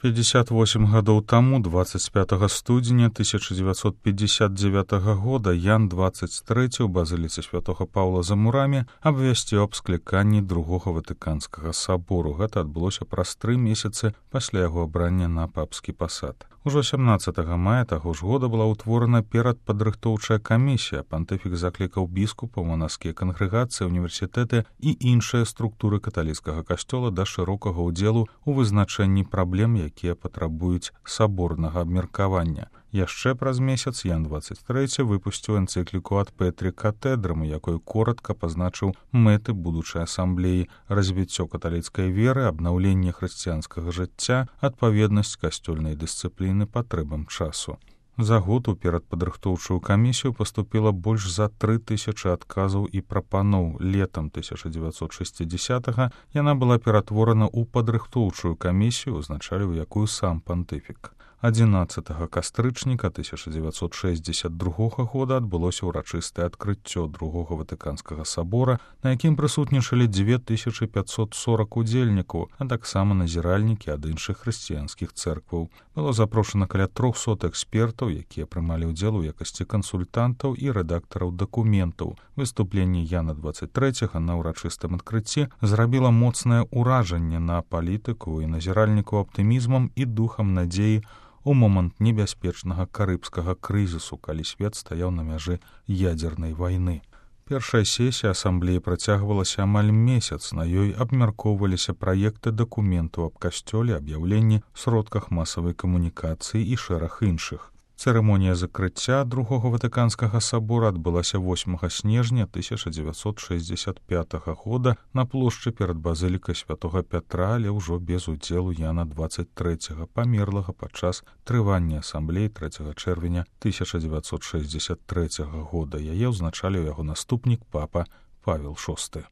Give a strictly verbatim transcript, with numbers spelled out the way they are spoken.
пятьдесят восемь гадоў таму, двадцать пятага студзеня тысяча девятьсот пятьдесят девятага года, Ян двадцать трэці ў базыліцы святога Паўла за мурамі абвясціў аб скліканні другога ватыканскага сабору. Гэта адбылося праз тры месяцы пасля яго абрання на папскі пасад. Ужо сямнаццатага мая таго ж года была ўтворана перадпадрыхтоўчая камісія. Пантыфік заклікаў біскупаў, манаскія кангрэгацыі, універсітэты і іншыя структуры каталіцкага касцёла да шырокага ўдзелу ў вызначэнні праблем, якія патрабуюць саборнага абмеркавання. Яшчэ праз месяц Ян двадцать трэці выпусціў энцыкліку ад Петрі Катедрам, у якой коратка пазначыў мэты будучай асамблеі: развіццё каталіцкай веры, абнаўленне хрысціянскага жыцця, адпаведнасць касцёльнай дысцыпліны патрэбам часу. За год у перадпадрыхтоўчую камісію паступіла больш за тры тысячы адказаў і прапаноў. Летам тысяча девятьсот шестидесятага яна была ператворана ў падрыхтоўчую камісію, узначаліў якую сам пантыфік. адзінаццатага кастрычніка тысяча девятьсот шестьдесят другога года адбылося ўрачыстае адкрыццё другога ватыканскага сабора, на якім прысутнічалі дзве тысячы пятьсот сорок удзельнікаў, а таксама назіральнікі ад іншых хрысціянскіх цэркваў. Было запрошана каля трохсот экспертаў, якія прымалі ўдзел у якасці кансультантаў і рэдактараў дакументаў. Выступленне Яна двадцать трэцяга на ўрачыстым адкрыцці зрабіла моцнае ўражанне на палітыку і назіральнікаў аптымізмам і духам надзеі у момант небяспечнага карыбскага крызісу, калі свет стаяў на мяжы ядзернай вайны. Першая сесія асамблеі працягвалася амаль месяц, на ёй абмяркоўваліся праекты дакументаў аб касцёле, аб'яўленні, сродках масавай камунікацыі і шэраг іншых. Цырымонія закрыцця другога ватыканскага сабора адбылася восьмага снежня тысяча девятьсот шестьдесят пятага года на плошчы перад базылікай святога Пятра, але ўжо без удзелу Яна двадцать трэцяга, памерлага падчас трывання асамблеі трэцяга чэрвеня тысяча девятьсот шестьдесят трэцяга года. Яе ўзначаліў яго наступнік папа Павел шосты.